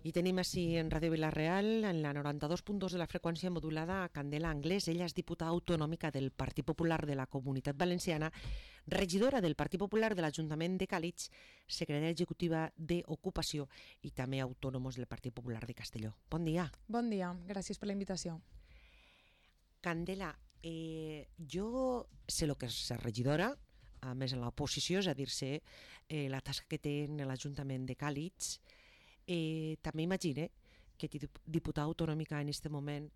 I tenim així en Ràdio Vila-real, en la 92.2 de la freqüència modulada, a Candela Anglès. Ella és diputada autonòmica del Partit Popular de la Comunitat Valenciana, regidora del Partit Popular de l'Ajuntament de Càlig, secretària executiva d'Ocupació i també autònomos del Partit Popular de Castelló. Bon dia. Bon dia, gràcies per la invitació. Candela, jo sé el que és ser regidora, a més en l'oposició, és a dir-se la tasca que té en l'Ajuntament de Càlig. També imagine que diputada autonòmica en aquest moment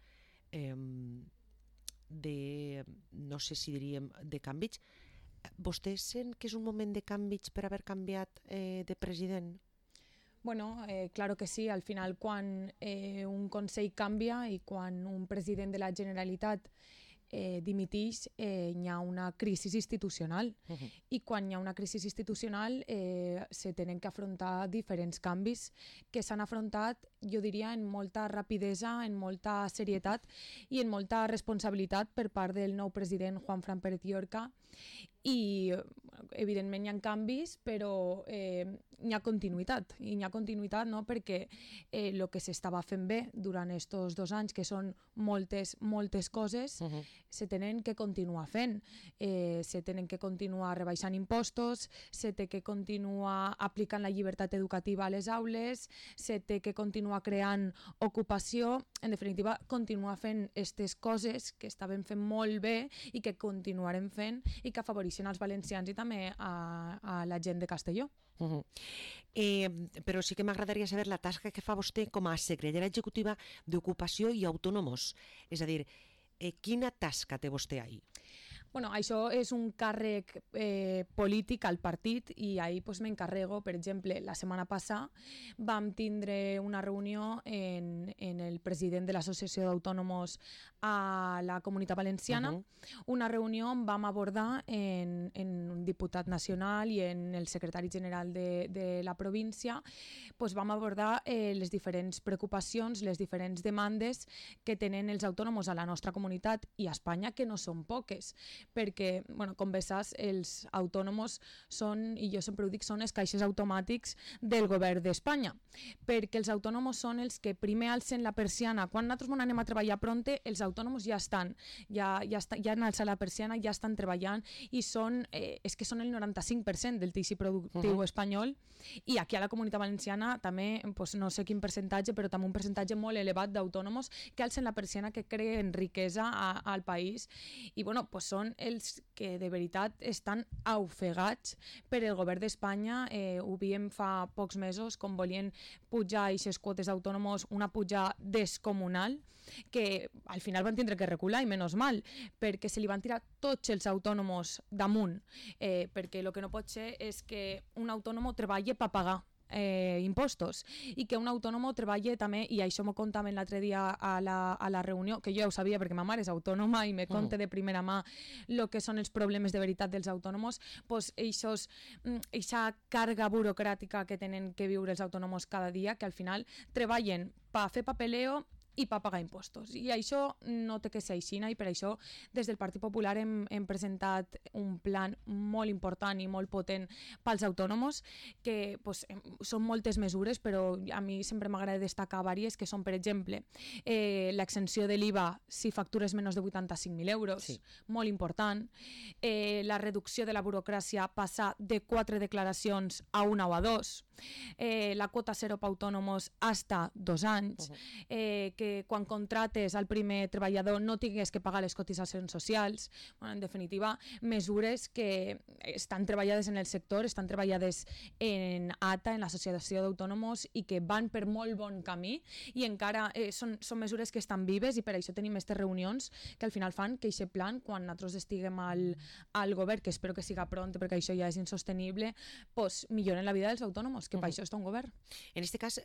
de, no sé si diríem, de canvis. Vostè sent que és un moment de canvis per haver canviat de president? Bueno, claro que sí, al final quan un Consell canvia i quan un president de la Generalitat dimitix, hi ha una crisi institucional i quan hi ha una crisi institucional se tenen que afrontar diferents canvis que s'han afrontat, jo diria, en molta rapidesa, en molta serietat i en molta responsabilitat per part del nou president Juanfran Pérez Llorca i evidentment hi ha canvis però hi ha continuïtat i hi ha continuïtat, no? Perquè el que s'estava fent bé durant aquests 2 anys, que són moltes coses, se tenen que continuar fent, se tenen que continuar rebaixant impostos, se té que continuar aplicant la llibertat educativa a les aules, se té que continuar creant ocupació, en definitiva continuar fent aquestes coses que estaven fent molt bé i que continuarem fent i que afavoreixen als valencians i també a la gent de Castelló. Però sí que m'agradaria saber la tasca que fa vostè com a secretària executiva d'Ocupació i Autònomos, és a dir, quina tasca té vostè ahí? Bueno, això és un càrrec polític al partit i ahí pues, m'encarrego, per exemple, la setmana passada vam tindre una reunió en el president de l'Associació d'Autònomos a la Comunitat Valenciana, una reunió on vam abordar en un diputat nacional i en el secretari general de la província, pues, vam abordar les diferents preocupacions, les diferents demandes que tenen els autònomos a la nostra comunitat i a Espanya, que no són poques, perquè, bueno, com bé saps, els autònomos són, i jo sempre ho dic, són els caixers automàtics del govern d'Espanya, perquè els autònomos són els que primer alcen la persiana. Quan nosaltres anem a treballar pronte, els autònomos ja estan, ja han alçat la persiana, ja estan treballant i són, és que són el 95% del teixit productiu espanyol, i aquí a la Comunitat Valenciana també, pues, no sé quin percentatge, però també un percentatge molt elevat d'autònomos que alcen la persiana, que creen riquesa al país, i bueno, pues són els que de veritat estan ofegats per el govern d'Espanya. Ho viem fa pocs mesos com volien pujar aquestes quotes d'autònomos, una pujada descomunal que al final van tindre que recular, i menys mal, perquè se li van tirar tots els autònomos damunt, perquè el que no pot ser és que un autònom treballi per pagar impostos i que un autònom treballi també, i això m'ho contaven l'altre dia a la reunió, que jo ja ho sabia perquè ma mare és autònoma i me conta de primera mà el que són els problemes de veritat dels autònomos, pues eixa càrrega burocràtica que tenen que viure els autònomos cada dia, que al final treballen per fer papeleo i per pagar impostos. I això no té que ser així, i per això des del Partit Popular hem presentat un plan molt important i molt potent pels autònomos, que pues, són moltes mesures, però a mi sempre m'agrada destacar diverses, que són, per exemple, l'exempció de l'IVA si factures menys de 85.000 euros, sí, molt important, la reducció de la burocràcia, passar de 4 declaracions a 1 o a 2, la quota zero per autònomos hasta 2 anys, que quan contrates al primer treballador no tingués que pagar les cotitzacions socials. Bueno, en definitiva, mesures que estan treballades en el sector, estan treballades en ATA, en l'Associació d'Autònomos, i que van per molt bon camí, i encara són mesures que estan vives, i per això tenim aquestes reunions que al final fan que aquest plan, quan nosaltres estiguem al govern, que espero que siga pront perquè això ja és insostenible, pues milloren la vida dels autònomos, que per això està un govern. En aquest cas,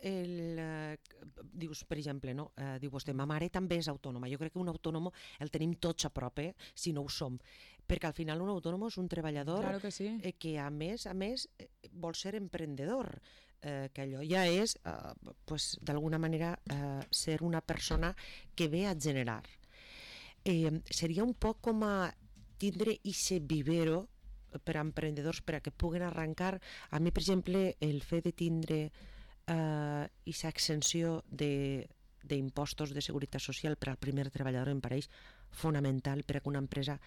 dius, per exemple, no? Diu vostè, ma mare també és autònoma. Jo crec que un autònom el tenim tots a prop, si no ho som, perquè al final un autònom és un treballador, claro que, sí, que a més vol ser emprendedor, que allò ja és pues, d'alguna manera ser una persona que ve a generar. Seria un poc com a tindre ese vivero per a emprendedors, per a que puguen arrencar. A mi, per exemple, el fet de tindre aquesta exenció d'impostos de seguretat social per al primer treballador em pareix fonamental per a que una empresa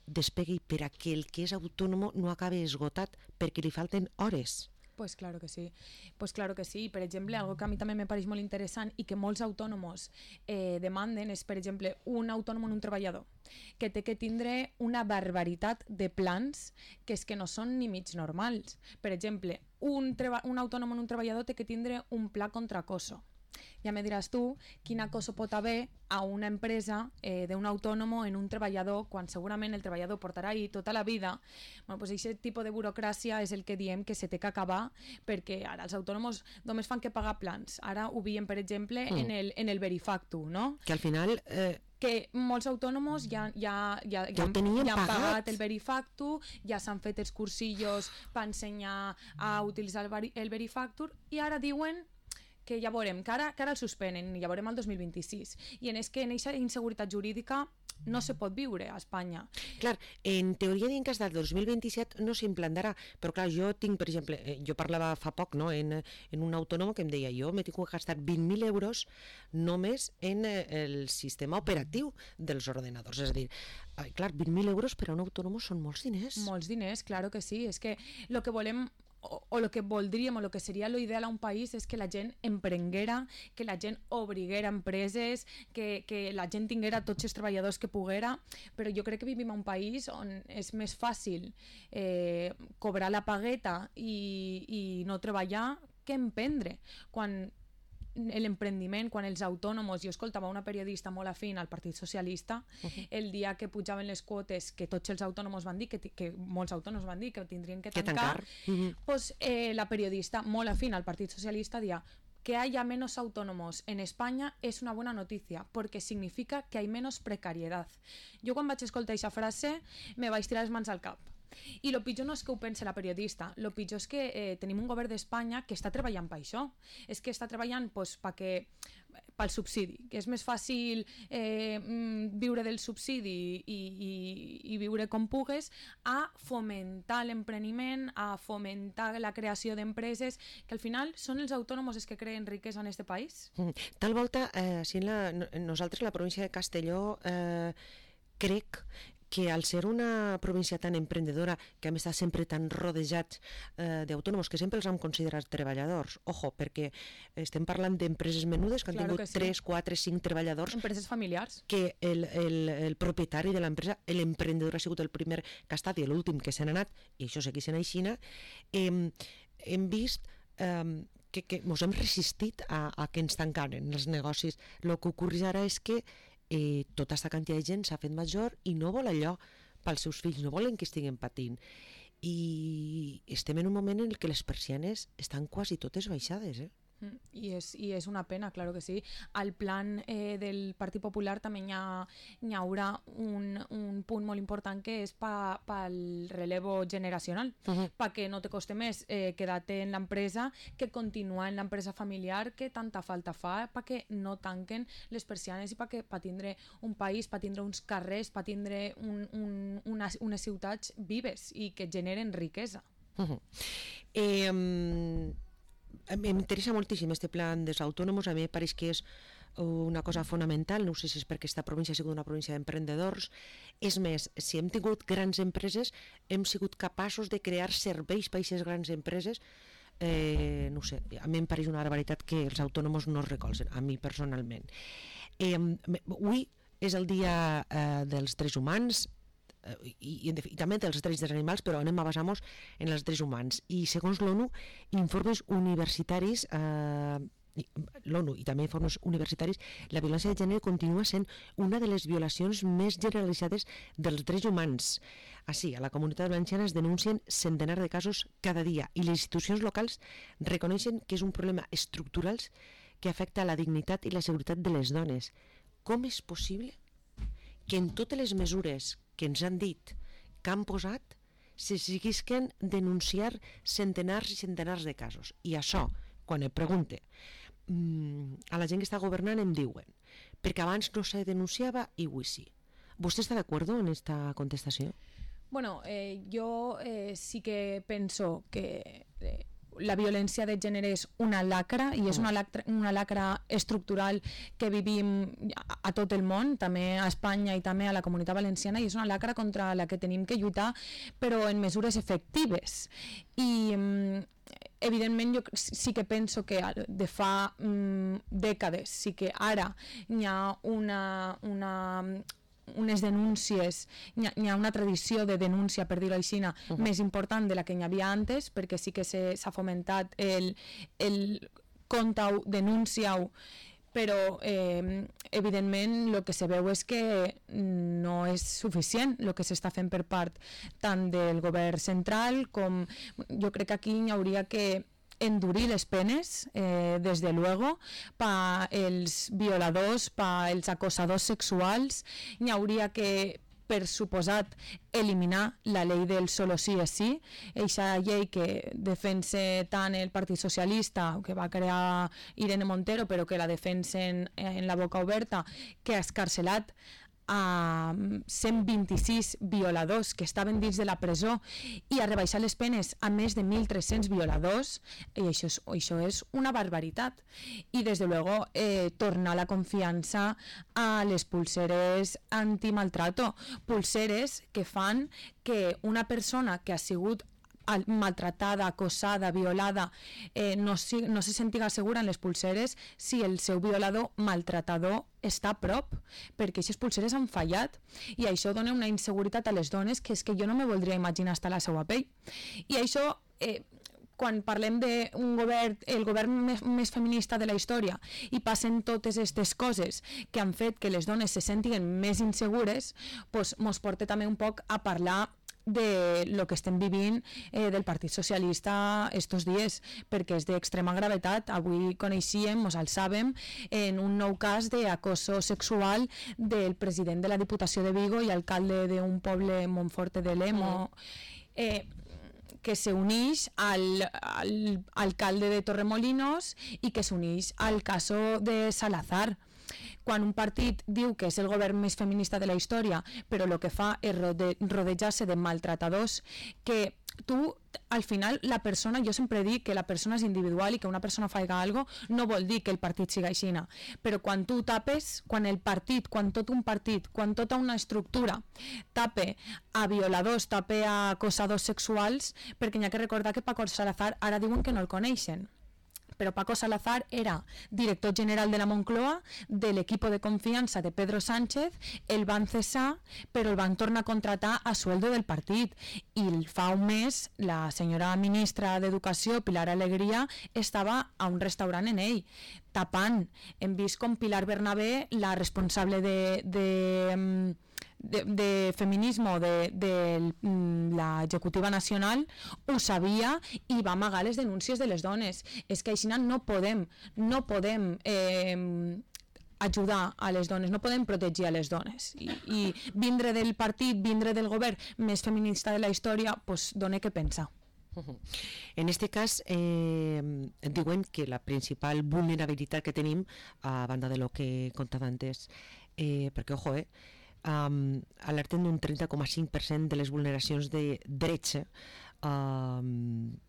despegui, per a que el que és autònom no acabi esgotat perquè li falten hores. Pues claro que sí, pues claro que sí. Per exemple, algo que a mi també me pareix molt interessant i que molts autònoms demanden és, per exemple, un autònom en un treballador que té que tindre una barbaritat de plans que és que no són ni mig normals. Per exemple, un autònom en un treballador té que tindre un pla contra acoso. Ja me diràs tu quin acoso pot haver a una empresa d'un autònom en un treballador quan segurament el treballador portarà ahí tota la vida. Bueno, pues aquest tipus de burocràcia és el que diem que se té que acabar, perquè ara els autònoms només fan que pagar plans. Ara ho veiem, per exemple, en el Verifactu, no? Que al final... que molts autònoms ja han pagat el Verifactu, ja s'han fet els cursillos per ensenyar a utilitzar el Verifactur i ara diuen que ja veurem, que ara el suspenen, ja veurem el 2026. I és que en aquesta inseguretat jurídica no se pot viure a Espanya. Clar, en teoria diuen que fins al 2027 no s'implantarà, però clar, jo tinc, per exemple, jo parlava fa poc, no?, en un autònom que em deia, jo m'he tingut que gastar 20.000 euros només en el sistema operatiu dels ordenadors. És a dir, clar, 20.000 euros per a un autònom són molts diners. Molts diners, claro que sí. És que el que volem o el que voldríem o el que seria l'ideal a un país és que la gent emprenguera, que la gent obriguera empreses, que la gent tinguera tots els treballadors que poguera, però jo crec que vivim a un país on és més fàcil cobrar la pagueta i no treballar que emprendre. Quan l'emprendiment, quan els autònoms, jo escoltava una periodista molt afín al Partit Socialista, el dia que pujaven les quotes, que tots els autònoms van dir, que molts autònoms van dir que tindrien que tancar, pues, la periodista molt afín al Partit Socialista deia que haya menos autónomos en España es una buena noticia, porque significa que hay menos precariedad. Jo quan vaig escoltar aquesta frase me vaig tirar les mans al cap. I el pitjor no és que ho pense la periodista, el pitjor és que tenim un govern d'Espanya que està treballant per això, és que està treballant pel subsidi, que és més fàcil viure del subsidi i viure com pugues, a fomentar l'empreniment, a fomentar la creació d'empreses, que al final són els autònoms els que creen riquesa en aquest país. Tal volta, nosaltres a la província de Castelló crec que al ser una província tan emprendedora, que hem estat sempre tan rodejats d'autònoms, que sempre els hem considerat treballadors, ojo, perquè estem parlant d'empreses menudes que han tingut 3, 4, 5 treballadors. Empreses familiars. Que el propietari de l'empresa, l'emprendedor ha sigut el primer que ha estat i l'últim que se n'ha anat, i això segueix en aixina, hem vist que ens hem resistit a que ens tancaren els negocis. El que ocorre ara és que tota aquesta quantitat de gent s'ha fet major i no vol allò pels seus fills, no volen que estiguin patint. I estem en un moment en què les persianes estan quasi totes baixades, I és una pena, claro que sí. Al plan del Partit Popular també hi haurà un punt molt important que és pel relevo generacional, perquè no te coste més quedar-te en l'empresa que continuar en l'empresa familiar que tanta falta fa perquè no tanquen les persianes i per tindre un país, per tindre uns carrers, per tindre unes ciutats vives i que generen riquesa. M'interessa moltíssim este plan dels autònoms, a mi em pareix que és una cosa fonamental, no sé si és perquè aquesta província ha sigut una província d'emprenedors. És més, si hem tingut grans empreses, hem sigut capaços de crear serveis per a aquestes grans empreses. No sé, a mi em pareix una barbaritat que els autònoms no es recolzen, a mi personalment. Avui és el dia dels drets humans, i també dels drets dels animals, però anem a basar-nos en els drets humans. I segons l'ONU, informes universitaris, l'ONU i també informes universitaris, la violència de gènere continua sent una de les violacions més generalitzades dels drets humans. Així, a la Comunitat Valenciana es denuncien centenars de casos cada dia i les institucions locals reconeixen que és un problema estructural que afecta la dignitat i la seguretat de les dones. Com és possible que en totes les mesures que ens han dit que han posat se seguisquen denunciar centenars i centenars de casos? I això, quan em pregunte a la gent que està governant, em diuen perquè abans no se denunciava i avui sí. ¿Vostè està d'acord en esta contestació? Bueno, yo sí que penso que la violència de gènere és una lacra i és una lacra estructural que vivim a tot el món, també a Espanya i també a la Comunitat Valenciana, i és una lacra contra la que tenim que lluitar, però en mesures efectives. I evidentment jo sí que penso que de fa dècades, sí que ara hi ha unes denúncies, hi ha una tradició de denúncia, per dir-ho així, més important de la que hi havia antes, perquè sí que s'ha fomentat el conta-ho, denuncia-ho, però evidentment el que se veu és que no és suficient el que s'està fent per part tant del govern central com jo crec que aquí hi hauria que endurir les penes, des de luego, pels violadors, pels acosadors sexuals. Hi hauria que, per suposat, eliminar la llei del solo sí és sí, aquesta llei que defensa tant el Partit Socialista, que va crear Irene Montero, però que la defensen en la boca oberta, que ha escarcelat a 126 violadors que estaven dins de la presó i a rebaixar les penes a més de 1.300 violadors, i això és una barbaritat. I des de luego tornar la confiança a les pulseres antimaltrato, pulseres que fan que una persona que ha sigut maltratada, acosada, violada, no se sentiga segura en les pulseres si el seu violador maltratador està a prop, perquè aquestes pulseres han fallat i això dona una inseguretat a les dones que és que jo no me voldria imaginar estar a la seva pell. I això, quan parlem d'un govern, el govern més feminista de la història, i passen totes aquestes coses que han fet que les dones se sentin més insegures, doncs mos porta també un poc a parlar de lo que estem vivint del Partit Socialista estos dies, perquè és d'extrema gravetat. Avui coneixíem, mos alçàvem en un nou cas d'acoso sexual del president de la Diputació de Vigo i alcalde d'un poble, Montforte de Lemo, que s'uneix al alcalde de Torremolinos i que s'uneix al caso de Salazar. Quan un partit diu que és el govern més feminista de la història, però el que fa és rodejar-se de maltratadors, que tu, al final, la persona, jo sempre dic que la persona és individual i que una persona faiga alguna cosa no vol dir que el partit siga així, però quan tu tapes, quan el partit, quan tot un partit, quan tota una estructura tape a violadors, tape a acosadors sexuals, perquè n'hi ha que recordar que Paco Salazar ara diuen que no el coneixen, però Paco Salazar era director general de la Moncloa, de l'equip de confiança de Pedro Sánchez, el van cessar, però el van tornar a contratar a sueldo del partit. I fa un mes la senyora ministra d'Educació, Pilar Alegría, estava a un restaurant en ell, tapant. Hem vist com Pilar Bernabé, la responsable de feminisme de l'executiva nacional, ho sabia i va amagar les denúncies de les dones. És que així no podem ajudar a les dones, no podem protegir a les dones. I vindre del partit, vindre del govern més feminista de la història, doncs dona que pensar. En este cas diuen que la principal vulnerabilitat que tenim, a banda de lo que contava antes, perquè ojo, alerten d'un 30,5% de les vulneracions de drets en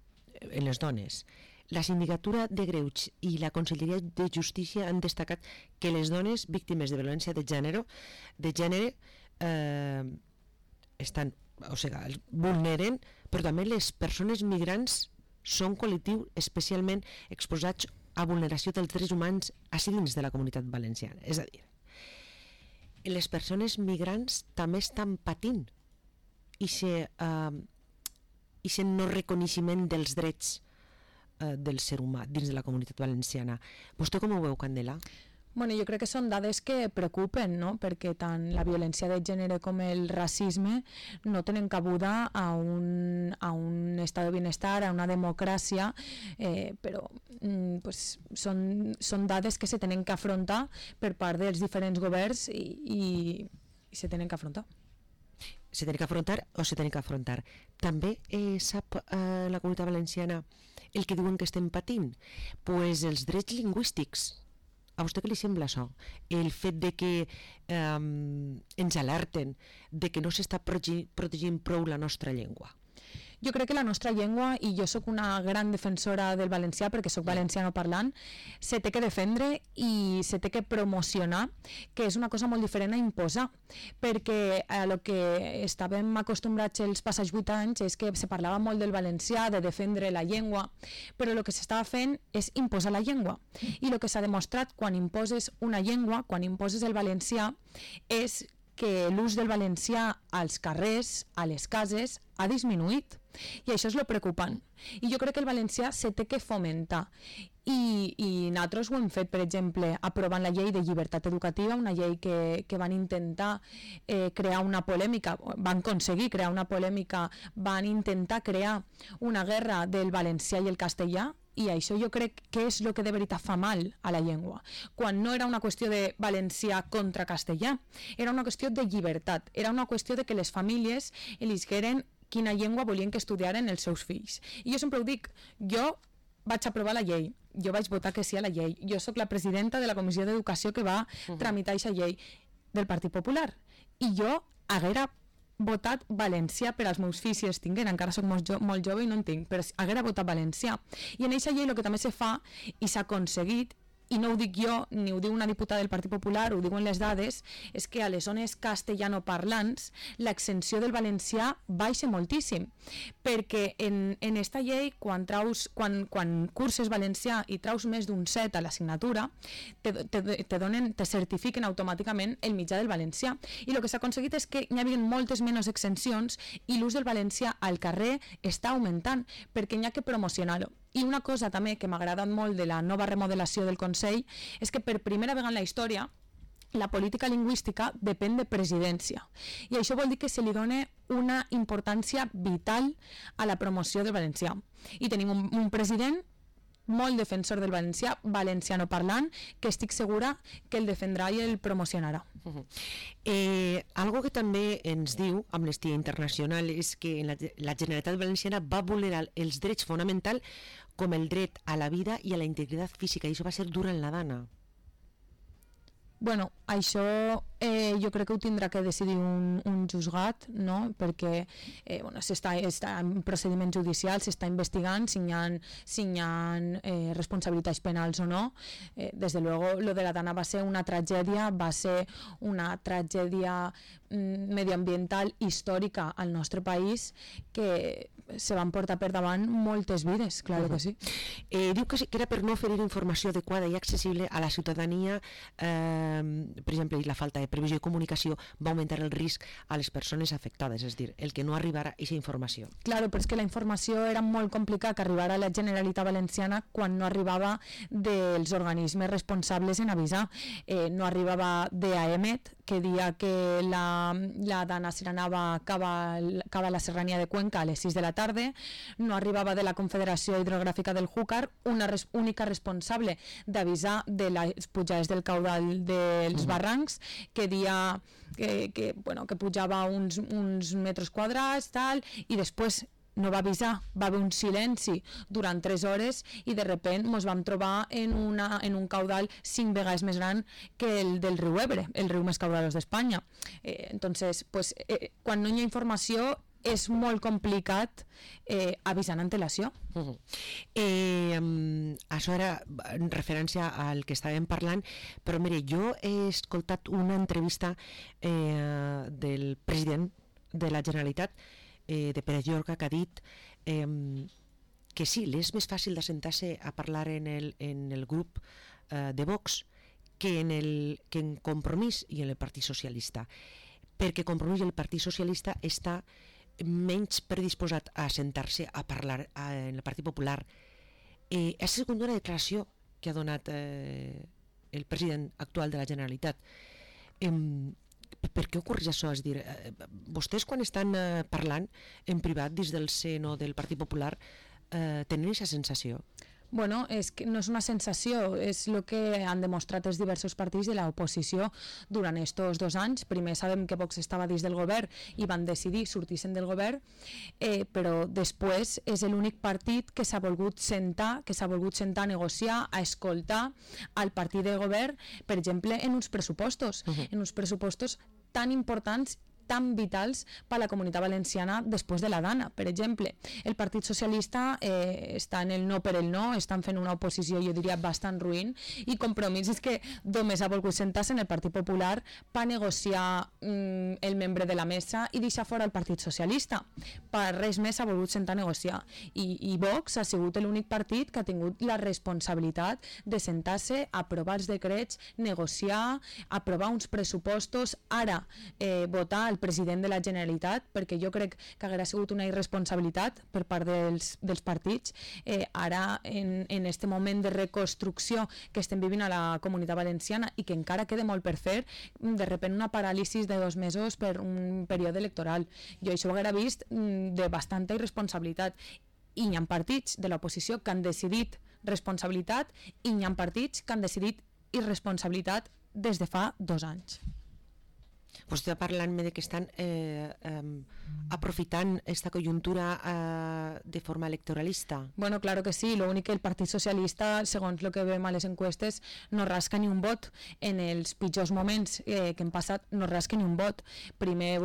les dones. La Sindicatura de Greuges i la Conselleria de Justícia han destacat que les dones víctimes de violència de gènere estan, o sigui, vulneren, però també les persones migrants són col·lectiu especialment exposats a vulneració dels drets humans així dins de la Comunitat Valenciana. És a dir, les persones migrants també estan patint i no reconeixement dels drets del ser humà dins de la Comunitat Valenciana. Vostè com ho veu, Candela? Bueno, jo crec que són dades que preocupen, no? Perquè tant la violència de gènere com el racisme no tenen cabuda a un estat de benestar, a una democràcia, però pues, són dades que se tenen que afrontar per part dels diferents governs i se tenen que afrontar. Se tenen que afrontar o se tenen que afrontar. També sap la Comunitat Valenciana el que diuen que estem patint? Pues els drets lingüístics. A vostè què li sembla això? El fet de que ens alerten de que no s'està protegint prou la nostra llengua. Jo crec que la nostra llengua, i jo sóc una gran defensora del valencià perquè sóc valenciano parlant, se té que defendre i se té que promocionar, que és una cosa molt diferent a imposar, perquè a lo que estàvem acostumbrats els passats 8 anys és que se parlava molt del valencià, de defendre la llengua, però el que s'estava fent és imposar la llengua. I el que s'ha demostrat quan imposes una llengua, quan imposes el valencià, és que l'ús del valencià als carrers, a les cases, ha disminuït. I això és lo preocupant. I jo crec que el valencià se té que fomentar. I nosaltres ho hem fet, per exemple, aprovant la llei de llibertat educativa, una llei que van intentar crear una polèmica, van aconseguir crear una polèmica, van intentar crear una guerra del valencià i el castellà, i això jo crec que és el que de veritat fa mal a la llengua, quan no era una qüestió de valencià contra castellà, era una qüestió de llibertat, era una qüestió de que les famílies elisqueren quina llengua volien que estudiaren els seus fills. I jo sempre ho dic, jo vaig aprovar la llei, jo vaig votar que sí a la llei, jo sóc la presidenta de la Comissió d'Educació que va tramitar aquesta llei del Partit Popular, i jo haguera votat valencià per als meus fills si els tinguin, encara soc molt jove i no en tinc, però haguera votat valencià. I en aquesta llei el que també se fa i s'ha aconseguit, i no ho dic jo, ni ho diu una diputada del Partit Popular, ho diuen les dades, és que a les zones castellanoparlants l'exenció del valencià baixa moltíssim, perquè en esta llei, quan curses valencià i traus més d'un 7 a l'assignatura, te certifiquen automàticament el mitjà del valencià. I el que s'ha aconseguit és que hi havia moltes menys exencions i l'ús del valencià al carrer està augmentant, perquè hi ha que promocionar-lo. I una cosa també que m'ha agradat molt de la nova remodelació del Consell és que per primera vegada en la història la política lingüística depèn de presidència. I això vol dir que se li dona una importància vital a la promoció del valencià. I tenim un president molt defensor del valencià, valenciano parlant, que estic segura que el defendrà i el promocionarà. Algo que també ens diu Amnistia Internacional és que la Generalitat Valenciana va vulnerar els drets fonamentals com el dret a la vida i a la integritat física, i això va ser durant la Dana. Bueno, això jo crec que ho tindrà que decidir un juzgat, no? Perquè està en procediments judicials, s'està investigant si hi ha responsabilitats penals o no. Des de luego, lo de la Dana va ser una tragèdia medioambiental històrica al nostre país que se van portar per davant moltes vides, claro que sí. Diu que era per no oferir informació adequada i accessible a la ciutadania, per exemple, la falta de previsió i comunicació va augmentar el risc a les persones afectades, és a dir, el que no arribara a aquesta informació. Claro, però és que la informació era molt complicat que arribara a la Generalitat Valenciana quan no arribava dels organismes responsables en avisar. No arribava d'AEMET, que dia que la Dana se n'anava cap a la serrania de Cuenca a les 6 de la tarda, no arribava de la Confederació Hidrogràfica del Júcar, una única responsable d'avisar de les pujades del caudal dels barrancs, que dia que pujava uns metres quadrats, tal, i després no va avisar, va haver un silenci durant 3 hores i de repent ens vam trobar en un caudal 5 vegades més gran que el del riu Ebre, el riu més caudalós d'Espanya. Entonces, quan no hi ha informació és molt complicat avisar en antelació. Això era en referència al que estàvem parlant, però mire, jo he escoltat una entrevista del president de la Generalitat, de Pere Llorca, que ha dit que sí, és més fàcil d'assentar-se a parlar en el grup de Vox que en Compromís i en el Partit Socialista, perquè Compromís i el Partit Socialista està menys predisposat a assentar-se a parlar en el Partit Popular. Ha sigut una declaració que ha donat el president actual de la Generalitat. Per què ocorre això? És dir, vostès quan estan parlant en privat des del seno del Partit Popular tenen aquesta sensació? Bueno, és que no és una sensació, és el que han demostrat els diversos partits de l'oposició durant aquests 2 anys. Primer sabem que Vox estava dins del govern i van decidir sortir-se'n del govern, però després és l'únic partit que s'ha volgut sentar a negociar, a escoltar al partit de govern, per exemple, en uns pressupostos, en uns pressupostos tan importants tan vitals per a la Comunitat Valenciana després de la Dana. Per exemple, el Partit Socialista està en el no per el no, estan fent una oposició, jo diria, bastant ruïn, i Compromís és que només ha volgut sentar-se en el Partit Popular per negociar el membre de la mesa i deixar fora el Partit Socialista. Per res més ha volgut sentar a negociar. I Vox ha sigut l'únic partit que ha tingut la responsabilitat de sentar-se, aprovar els decrets, negociar, aprovar uns pressupostos, ara votar el president de la Generalitat, perquè jo crec que haguera sigut una irresponsabilitat per part dels partits. Ara, en este moment de reconstrucció que estem vivint a la Comunitat Valenciana i que encara queda molt per fer, de repente una paràlisi de 2 mesos per un període electoral. Jo això ho haguera vist de bastanta irresponsabilitat. I hi ha partits de l'oposició que han decidit responsabilitat i hi ha partits que han decidit irresponsabilitat des de fa 2 anys. Vostè està parlant-me de que estan aprofitant esta coyuntura de forma electoralista. Bueno, claro que sí, lo únic que el Partit Socialista, segons el que veiem a les encuestes, no rasca ni un vot. En els pitjors moments que hem passat no rasca ni un vot. Primer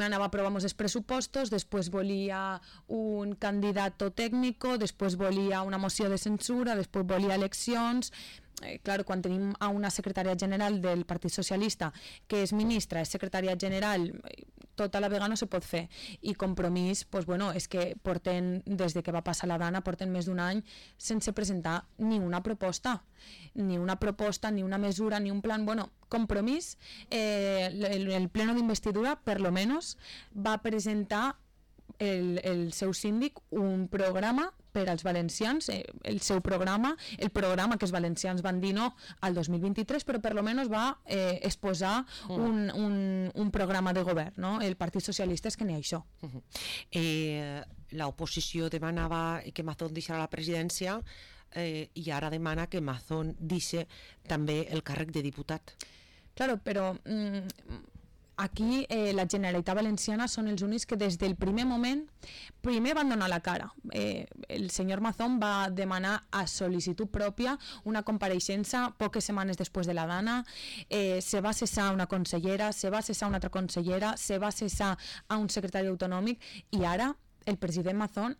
anava a aprovar els pressupostos, després volia un candidat tècnic, després volia una moció de censura, després volia eleccions. Claro, quan tenim a una secretària general del Partit Socialista que és ministra, és secretària general, tota la vegada no se pot fer. I Compromís, pues bueno, és que porten, des de que va passar la Dana, porten més d'1 any sense presentar ni una proposta, ni una mesura, ni un plan. Bueno, Compromís, el pleno d'investidura, per lo menos, va presentar el seu síndic un programa per als valencians, el seu programa, el programa que els valencians van dir no al 2023, però per lo menos va exposar un programa de govern, no? El Partit Socialista és que n'hi ha això. L'oposició demanava que Mazón deixara la presidència i ara demana que Mazón deixi també el càrrec de diputat. Claro, però aquí la Generalitat Valenciana són els únics que des del primer moment van donar la cara. El senyor Mazón va demanar a sol·licitud pròpia una compareixença poques setmanes després de la Dana, se va cessar una consellera, se va cessar una altra consellera, se va cessar a un secretari autonòmic i ara el president Mazón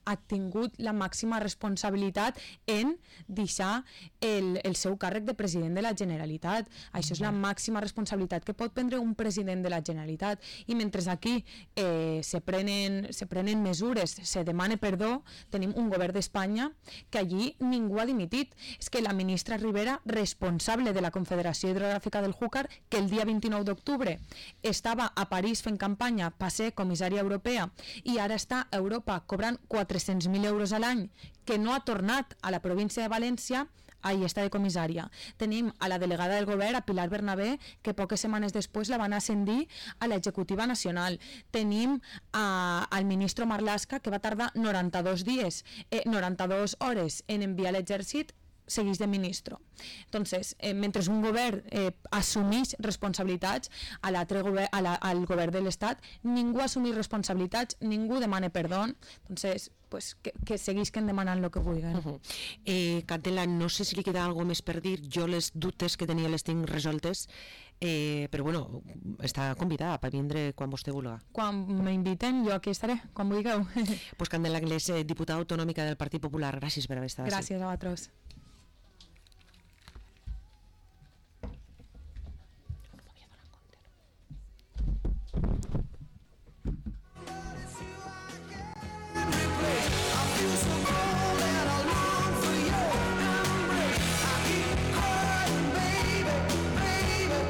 ha tingut la màxima responsabilitat en deixar el seu càrrec de president de la Generalitat. Això és la màxima responsabilitat que pot prendre un president de la Generalitat. I mentre aquí se prenen mesures, se demana perdó, tenim un govern d'Espanya que allí ningú ha dimitit. És que la ministra Rivera, responsable de la Confederació Hidrogràfica del Júcar, que el dia 29 d'octubre estava a París fent campanya per ser comissària europea i ara està a Europa cobrant 400.000 euros a l'any, que no ha tornat a la província de València, ahí està de comissària. Tenim a la delegada del govern, a Pilar Bernabé, que poques setmanes després la van ascendir a l'executiva nacional. Tenim al ministre Marlaska, que va tardar 92 hores en enviar l'exèrcit, segueix de ministre. Entonces, mentre un govern assumeix responsabilitats, al govern de l'Estat ningú assumeix responsabilitats, ningú demana perdó. Entonces, pues, que seguisquen demanant el que vulguin. Candela, no sé si li queda alguna més per dir. Jo les dubtes que tenia les tinc resoltes, però bueno, està convidada per vindre quan vostè vulgui. Quan m'inviten, jo aquí estaré, quan vulgueu. Pues Candela Anglès, diputada autonòmica del Partit Popular, gràcies per haver estat. Gràcies a vosaltres.